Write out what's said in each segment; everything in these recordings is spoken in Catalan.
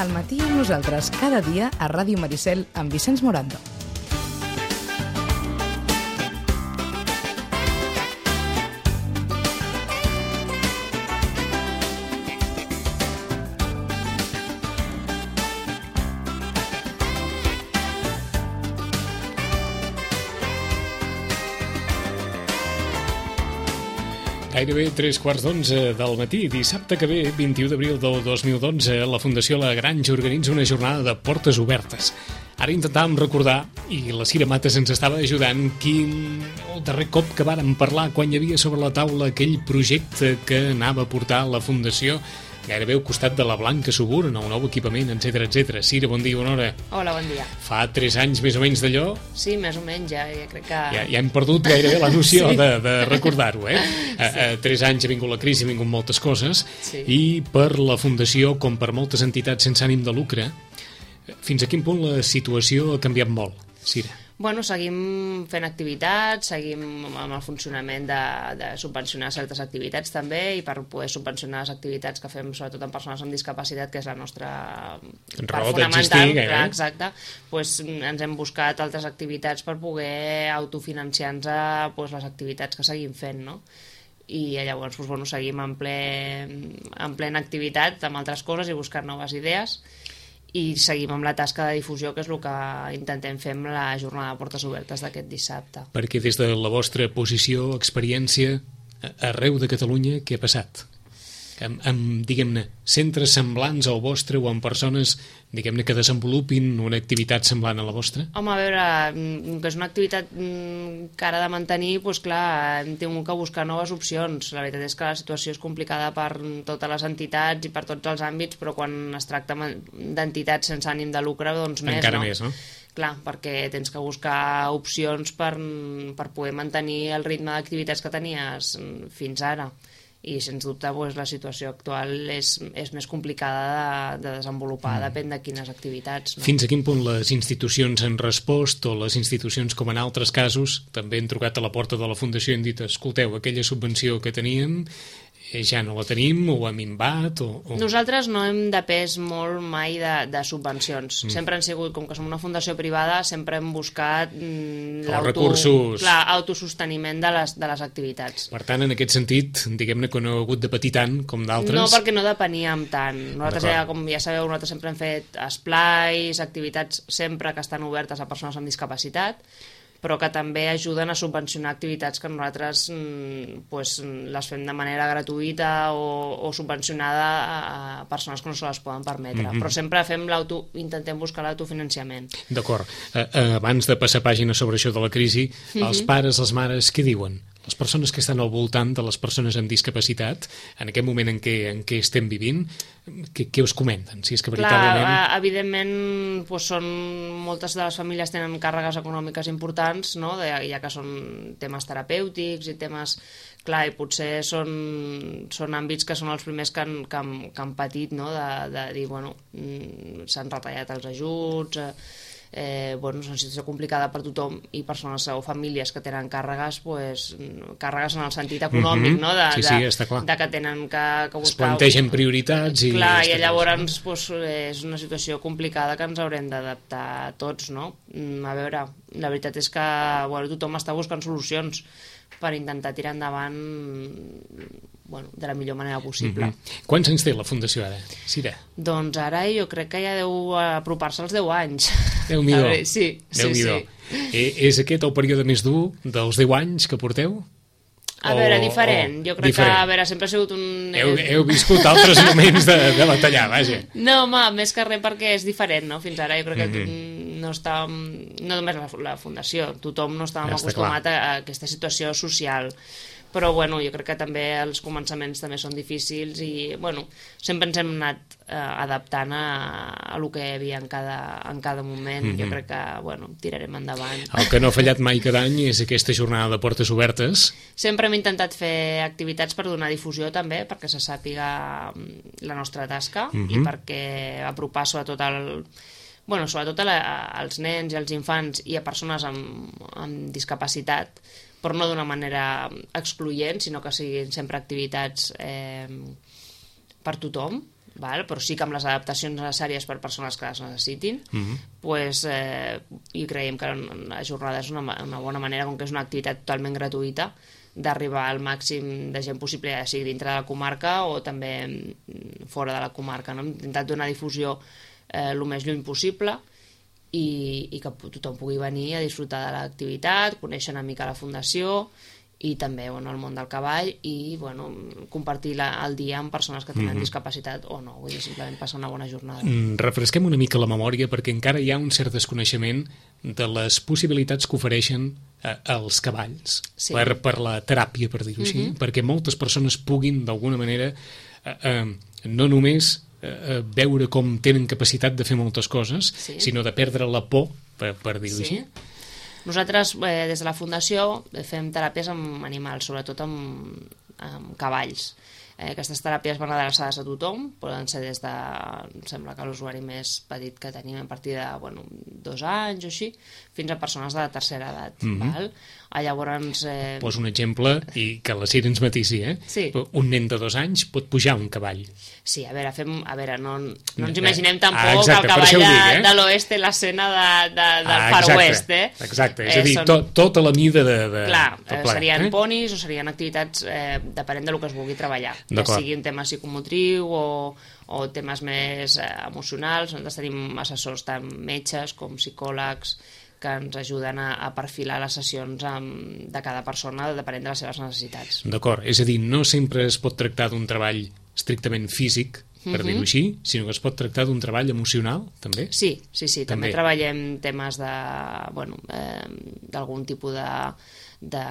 Al matí amb nosaltres cada dia a Ràdio Maricel amb Vicenç Morando. Gairebé 3:15 del matí, dissabte que ve, 21 d'abril del 2012, la Fundació La Granja organitza una jornada de portes obertes. Ara intentàvem recordar, i la Cira Mates ens estava ajudant, el darrer cop que vàrem parlar quan hi havia sobre la taula aquell projecte que anava a portar la Fundació gairebé al costat de la Blanca Subur, en el nou equipament, etc. Cira, bon dia, bona hora. Hola, bon dia. Fa 3 anys més o menys d'allò? Sí, més o menys, ja crec que... Ja hem perdut gairebé la noció sí. de recordar-ho, eh? Sí. 3 anys ha vingut la crisi, ha vingut moltes coses, sí. I per la Fundació, com per moltes entitats sense ànim de lucre, fins a quin punt la situació ha canviat molt, Cira? Bueno, seguim fent activitats, seguim amb el funcionament de subvencionar certes activitats també, i per poder subvencionar les activitats que fem sobretot amb persones amb discapacitat, que és la nostra part fonamental, exacte, doncs ens hem buscat altres activitats per poder autofinanciar-nos les activitats que seguim fent, no? I llavors seguim en plena activitat amb altres coses i buscar noves idees, i seguim amb la tasca de difusió, que és el que intentem fer amb la jornada de portes obertes d'aquest dissabte. Perquè des de la vostra posició, experiència, arreu de Catalunya, què ha passat? Amb diguem-ne, centres semblants al vostre o amb persones, diguem-ne, que desenvolupin una activitat semblant a la vostra? Home, a veure, que és una activitat que ara de mantenir, doncs clar, hem tingut que buscar noves opcions. La veritat és que la situació és complicada per totes les entitats i per tots els àmbits, però quan es tracta d'entitats sense ànim de lucre, doncs més, encara no? Més, no? Clar, perquè tens que buscar opcions per poder mantenir el ritme d'activitats que tenies fins ara. I sens dubte la situació actual és més complicada de desenvolupar, depèn de quines activitats. No? Fins a quin punt les institucions han respost, o les institucions, com en altres casos, també han trucat a la porta de la Fundació i han dit, escolteu, aquella subvenció que teníem ja no la tenim, o ha minvat, o... Nosaltres no hem depès molt mai de subvencions. Sempre han sigut, com que som una fundació privada, sempre hem buscat recursos... autososteniment de les activitats. Per tant, en aquest sentit, diguem-ne que no heu hagut de patir tant com d'altres? No, perquè no depeníem tant. Nosaltres, com ja sabeu, nosaltres sempre hem fet esplais, activitats sempre que estan obertes a persones amb discapacitat, però que també ajuden a subvencionar activitats que nosaltres les fem de manera gratuïta o subvencionada a persones que no se les poden permetre. Però sempre intentem buscar l'autofinanciament. D'acord. Abans de passar pàgina sobre això de la crisi, els pares, les mares, què diuen? Les persones que estan al voltant de les persones amb discapacitat, en aquest moment en què estem vivint, què us comenten? Si és que veritablement... Clar, evidentment, moltes de les famílies tenen càrregues econòmiques importants, no? Ja que són temes terapèutics i temes... Clar, i potser són àmbits que són els primers que han patit, no? De dir, s'han retallat els ajuts... és una situació complicada per tothom, i persones o famílies que tenen càrregues, càrregues en el sentit econòmic, no? Està clar. De que tenen que buscar... Es plantegen prioritats i... Clar, i llavors és una situació complicada que ens haurem d'adaptar tots, no? A veure, la veritat és que tothom està buscant solucions per intentar tirar endavant de la millor manera possible. Quants anys té la Fundació ara, Cira? Doncs ara jo crec que ja deu apropar-se als 10 anys. Déu-n'hi-do. Sí. És aquest el període més dur dels 10 anys que porteu? A veure, diferent. Jo crec que, sempre ha sigut un... Heu viscut altres moments de batallar, vaja. No, home, més que res perquè és diferent, no? Fins ara jo crec que no només la Fundació, tothom no estàvem acostumat a aquesta situació social. Però jo crec que també els començaments també són difícils i sempre ens hem anat adaptant a el que hi havia en cada moment. Jo crec que tirarem endavant. El que no ha fallat mai cada any és aquesta jornada de portes obertes. Sempre hem intentat fer activitats per donar difusió també, perquè se sàpiga la nostra tasca i perquè apropar sobretot als nens i als infants i a persones amb discapacitat, però no d'una manera excloent, sinó que siguin sempre activitats per tothom, però sí que amb les adaptacions necessàries per persones que les necessitin, i creiem que la jornada és una bona manera, com que és una activitat totalment gratuïta, d'arribar al màxim de gent possible, ja sigui dintre de la comarca o també fora de la comarca. Hem intentat donar difusió el més lluny possible i que tothom pugui venir a disfrutar de l'activitat, conèixer una mica la fundació i també el món del cavall i compartir el dia amb persones que tenen discapacitat o no, vull dir, simplement passar una bona jornada. Refresquem una mica la memòria perquè encara hi ha un cert desconeixement de les possibilitats que ofereixen els cavalls per la teràpia, per dir-ho així, perquè moltes persones puguin d'alguna manera no només veure com tenen capacitat de fer moltes coses, sinó de perdre la por, per dir-ho així. Nosaltres, des de la Fundació, fem teràpies amb animals, sobretot amb cavalls. Aquestes teràpies van adreçades a tothom, poden ser des de, em sembla que l'usuari més petit que tenim a partir de 2 anys o així, fins a persones de la tercera edat. Llavors... Poso un exemple i que la Sira ens matisi, Sí. Un nen de 2 anys pot pujar un cavall. Sí, a veure, no ens imaginem tampoc que el cavall de l'oest té l'escena del Far West, Exacte, és a dir, tota la mida de... Clar, serien ponis o serien activitats depenent del que es vulgui treballar, ja sigui un tema psicomotriu o temes més emocionals. Nosaltres tenim assessors tant metges com psicòlegs que ens ajuden a perfilar les sessions de cada persona depenent de les seves necessitats. D'acord, és a dir, no sempre es pot tractar d'un treball estrictament físic, per dir-ho així, sinó que es pot tractar d'un treball emocional, també? Sí, també treballem temes d'algun tipus de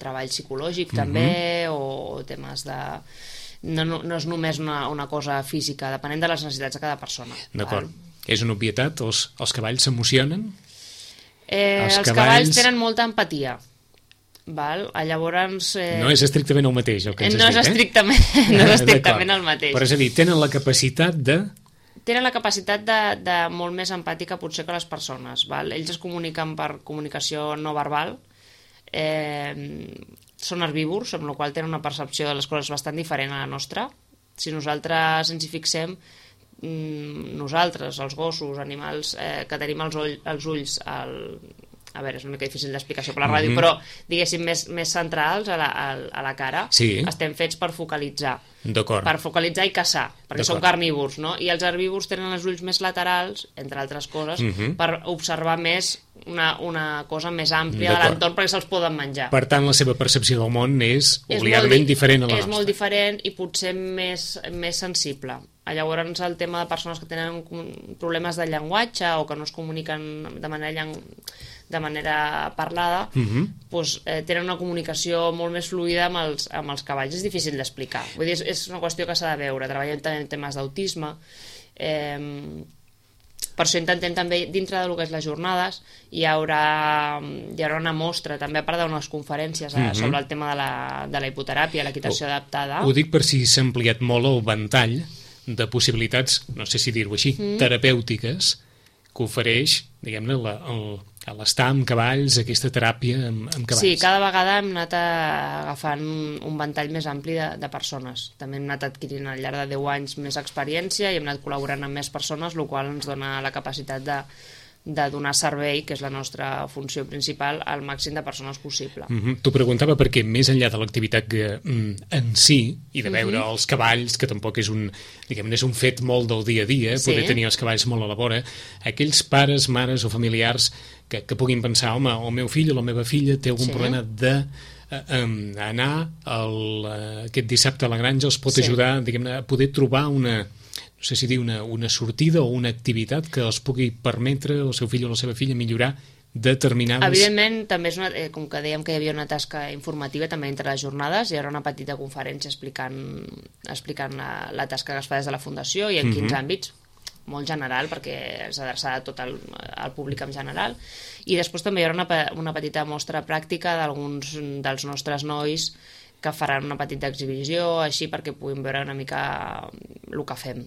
treball psicològic també, o temes de... No és només una cosa física, depenent de les necessitats de cada persona. D'acord. És una obvietat? Els cavalls s'emocionen? Els cavalls tenen molta empatia. Llavors... No és estrictament el mateix, el que ens has dit, No és estrictament el mateix. Però és a dir, tenen la capacitat de... Tenen la capacitat de molt més empàtica potser que les persones. Ells es comuniquen per comunicació no verbal, són herbívors, amb la qual tenen una percepció de les coses bastant diferent a la nostra. Si nosaltres ens hi fixem, nosaltres, els gossos, animals que tenim els ulls a veure, és una mica difícil d'explicació per la ràdio, però diguéssim més centrals a la cara, estem fets per focalitzar i caçar, perquè són carnívors, no? I els herbívors tenen els ulls més laterals, entre altres coses, per observar més una cosa més àmplia de l'entorn perquè se'ls poden menjar. Per tant, la seva percepció del món és obligadament diferent a la nostra. És molt diferent i potser més sensible. Llavors, el tema de persones que tenen problemes de llenguatge o que no es comuniquen de manera parlada, tenen una comunicació molt més fluida amb els cavalls. És difícil d'explicar. Vull dir, és una qüestió que s'ha de veure. Treballem també en temes d'autisme. Per això intentem també, dintre del que és les jornades, hi haurà una mostra, també a part d'unes conferències sobre el tema de la hipoteràpia, l'equitació adaptada. Ho dic per si s'ha ampliat molt el ventall de possibilitats, no sé si dir-ho així, terapèutiques, que ofereix, diguem-ne, l'estar amb cavalls, aquesta teràpia amb cavalls. Sí, cada vegada hem anat agafant un ventall més ampli de persones. També hem anat adquirint al llarg de 10 anys més experiència i hem anat col·laborant amb més persones, el qual ens dona la capacitat de donar servei, que és la nostra funció principal, al màxim de persones possible. T'ho preguntava perquè més enllà de l'activitat en si, i de veure els cavalls, que tampoc és un fet molt del dia a dia, poder tenir els cavalls molt a la vora, aquells pares, mares o familiars que puguin pensar, home, el meu fill o la meva filla té algun problema d'anar aquest dissabte a la granja, els pot ajudar, diguem-ne, a poder trobar una sortida o una activitat que els pugui permetre al seu fill o la seva filla millorar determinades... Evidentment, també és com que dèiem que hi havia una tasca informativa també entre les jornades, hi haurà una petita conferència explicant la tasca que es fa des de la Fundació i en quins àmbits, molt general, perquè és adreçada a tot el públic en general, i després també hi haurà una petita mostra pràctica d'alguns dels nostres nois que faran una petita exhibició, així perquè puguin veure una mica el que fem,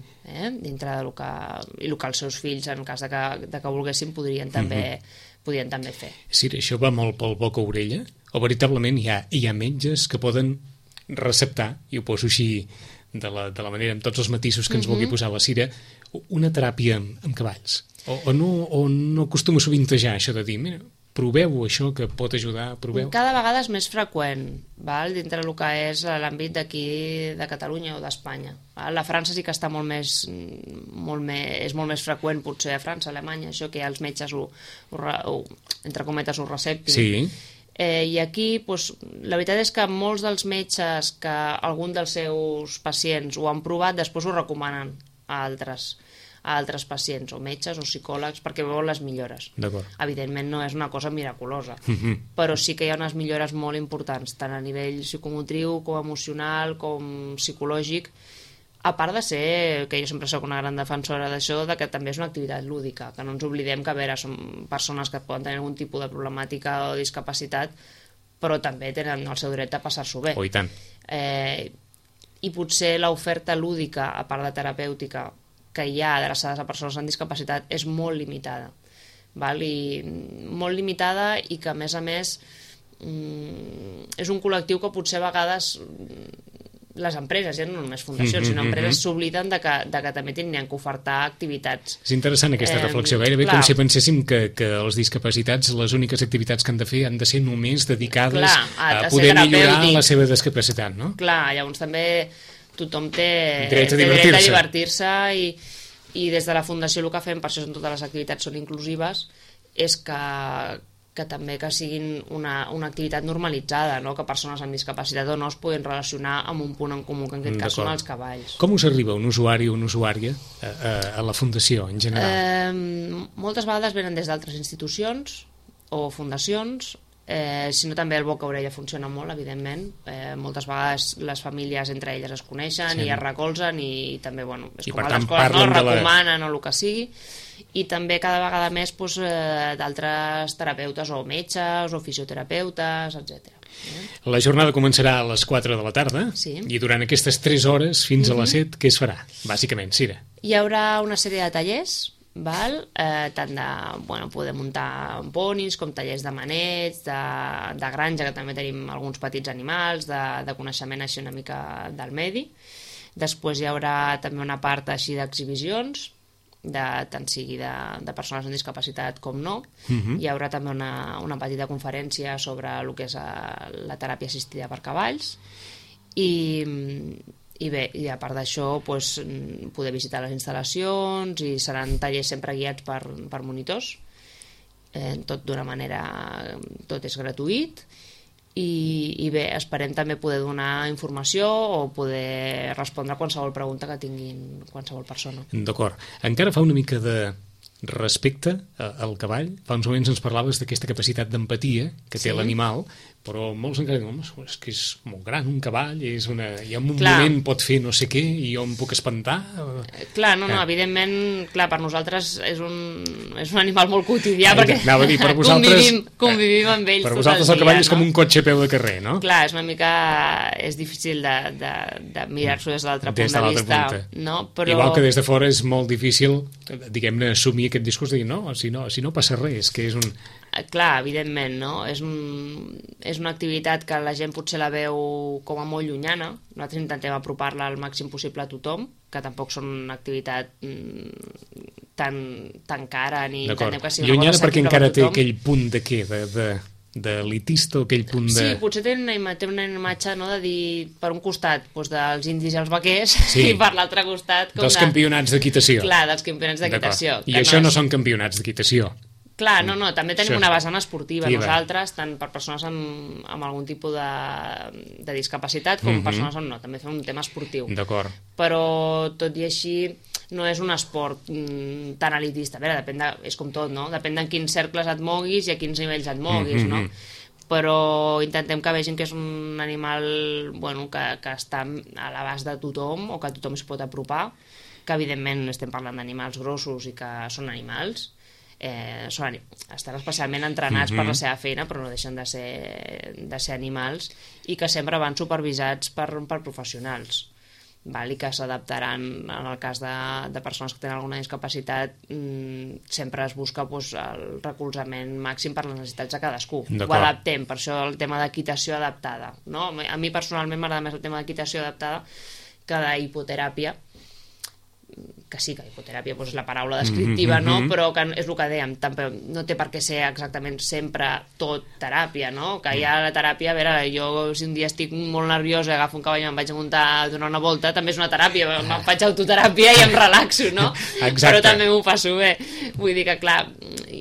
dintre del que els seus fills, en cas de que volguessin, podrien també fer. Sí, això va molt pel boca-orella? O veritablement hi ha metges que poden receptar, i ho poso així de la manera, amb tots els matisos que ens vulgui posar la Cira, una teràpia amb cavalls. O no acostuma a sovintejar això de dir, mira, proveu això que pot ajudar, proveu. Cada vegada és més freqüent, val? Dintre del que és l'àmbit d'aquí de Catalunya o d'Espanya. La França sí que està és molt més freqüent potser a França, a Alemanya, això que els metges entre cometes ho receptin. Sí. I aquí, doncs, la veritat és que molts dels metges que algun dels seus pacients ho han provat, després ho recomanen a altres pacients, o metges o psicòlegs, perquè veuen les millores. Evidentment no és una cosa miraculosa, però sí que hi ha unes millores molt importants, tant a nivell psicomotriu com emocional, com psicològic, a part de ser, que jo sempre soc una gran defensora d'això, de que també és una activitat lúdica, que no ens oblidem que, a veure, són persones que poden tenir algun tipus de problemàtica o discapacitat, però també tenen el seu dret a passar-s'ho bé. Oh, i tant. I potser l'oferta lúdica, a part de terapèutica, que hi ha adreçades a persones amb discapacitat és molt limitada. Val? Molt limitada i que, a més, és un col·lectiu que potser a vegades les empreses, ja no només fundacions, sinó empreses s'obliden de que també tindrien que ofertar activitats. És interessant aquesta reflexió, gairebé com si penséssim que els discapacitats, les úniques activitats que han de fer han de ser només dedicades a poder millorar la seva discapacitat, no? Clar, llavors també tothom té dret a divertir-se i des de la Fundació el que fem, per això totes les activitats són inclusives, és que també que siguin una activitat normalitzada, no? Que persones amb discapacitat o no es puguin relacionar amb un punt en comú, que en aquest cas són els cavalls. Com us arriba un usuari o una usuària a la Fundació, en general? Moltes vegades venen des d'altres institucions o fundacions, sinó també el boca a orella funciona molt, evidentment. Moltes vegades les famílies entre elles es coneixen i es recolzen i també, bueno, és com a l'escola, no? Recomanen o el que sigui. I també cada vegada més d'altres terapeutes o metges o fisioterapeutes, etc. La jornada començarà a les 4 de la tarda i durant aquestes 3 hores fins a les 7, què es farà, bàsicament, Cira? Hi haurà una sèrie de tallers, tant de poder muntar ponis com tallers de maneig, de granja, que també tenim alguns petits animals, de coneixement així una mica del medi. Després hi haurà també una part així d'exhibicions, tant sigui de persones amb discapacitat com no. Hi haurà també una petita conferència sobre el que és la teràpia assistida per cavalls i bé, i a part d'això poder visitar les instal·lacions i seran tallers sempre guiats per monitors, tot d'una manera, tot és gratuït. I bé, esperem també poder donar informació o poder respondre a qualsevol pregunta que tinguin qualsevol persona. D'acord. Encara fa una mica de respecte al cavall. Fa uns moments ens parlaves d'aquesta capacitat d'empatia que té l'animal, però molts encara diuen, és que és molt gran un cavall, i en un moment pot fer no sé què i jo em puc espantar. Clar, no, evidentment, per nosaltres és un animal molt quotidià, perquè convivim amb ells. Per vosaltres el cavall és com un cotxe a peu de carrer, no? Clar, és difícil de mirar-s'ho des de l'altre punt de vista. Igual que des de fora és molt difícil, diguem-ne, assumir aquest discurs de dir, no, si no passa res, que és un... Clar, evidentment, no? És una activitat que la gent potser la veu com a molt llunyana. Nosaltres intentem apropar-la al màxim possible a tothom, que tampoc són una activitat tan cara ni intentem que sigui una cosa llunyana perquè encara té aquell punt de què? D'elitista o aquell punt de... Sí, potser té una imatge, no?, de dir per un costat dels indis i els vaquers i per l'altre costat dels campionats d'equitació. Clar, dels campionats d'equitació. I això no són campionats d'equitació. Clar, no, també tenim una vessant esportiva nosaltres, tant per persones amb algun tipus de discapacitat com persones amb no, també fem un tema esportiu. D'acord. Però tot i així no és un esport tan elitista. A veure, és com tot, no? Depèn de quins cercles et moguis i a quins nivells et moguis, no? Però intentem que vegin que és un animal que està a l'abast de tothom o que tothom s'hi pot apropar, que evidentment estem parlant d'animals grossos i que són animals, estan especialment entrenats per la seva feina, però no deixen de ser animals i que sempre van supervisats per professionals, i que s'adaptaran en el cas de persones que tenen alguna discapacitat. Sempre es busca el recolzament màxim per les necessitats de cadascú. Ho adaptem, per això el tema d'equitació adaptada, no? A mi personalment m'agrada més el tema d'equitació adaptada, que de hipoteràpia, que sí que hipoteràpia és la paraula descriptiva, no? Però que és el que dèiem, no té per què ser exactament sempre tot teràpia, no? Que hi ha la teràpia, a veure, jo si un dia estic molt nerviosa, agafo un cavall i em vaig a muntar a donar una volta, també és una teràpia, em faig autoteràpia i em relaxo, no? Exacte. Però també m'ho passo bé. Vull dir que, clar,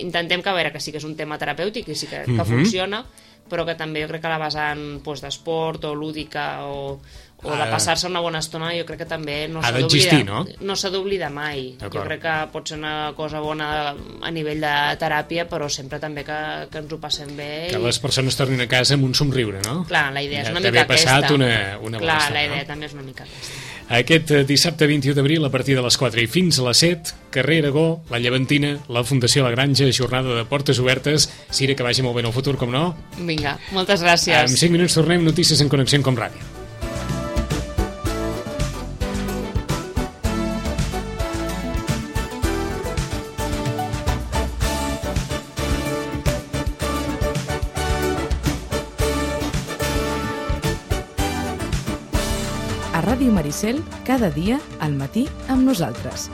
intentem que, a veure, que sí que és un tema terapèutic i sí que funciona, però que també jo crec que la vessant d'esport o lúdica o de passar-se una bona estona, jo crec que també no s'ha d'existir, no? No s'ha d'oblidar mai. Jo crec que pot ser una cosa bona a nivell de teràpia, però sempre també que ens ho passem bé. Que les persones tornin a casa amb un somriure, no? Clar, la idea és una mica aquesta. D'haver passat una bona estona. La idea també és una mica aquesta. Aquest dissabte 21 d'abril, a partir de les 4 i fins a les 7, carrer Aragó, la Llevantina, la Fundació La Granja, jornada de portes obertes. Sira, que vagi molt bé en el futur, com no? Vinga, moltes gràcies. En 5 minuts tornem, notícies en Connexió com Ràdio. A Ràdio Maricel, cada dia al matí amb nosaltres.